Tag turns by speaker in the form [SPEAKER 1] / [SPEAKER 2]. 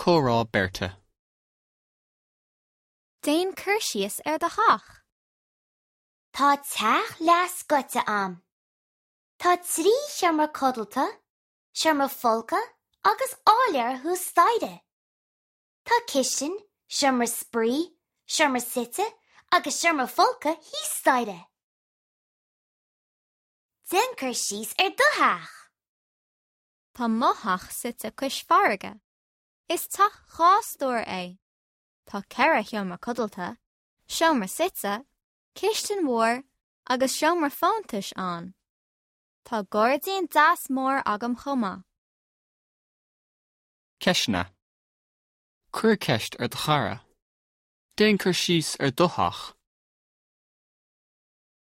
[SPEAKER 1] Comhrá beirte.
[SPEAKER 2] Déan cur síos ar do theach.
[SPEAKER 3] Tá teach leathscoite a'm. Tá 3 sheomra codlata, seomra folctha agus áiléar thuas staighre. Tá cistin, seomra spraoi, seomra suite agus seomra folctha thíos staighre. Déan cur síos ar do theach.
[SPEAKER 2] Tá mo theach suite cois farraige. Is teach 2 stór é. Tá 4 sheomra codlata, seomra suite, cistin mhór agus seomra fóntais ann. Tá gairdín deas mór agam chomh maith.
[SPEAKER 1] Ceisteanna. Cuir ceist ar do chara. Déan cur síos ar do theach.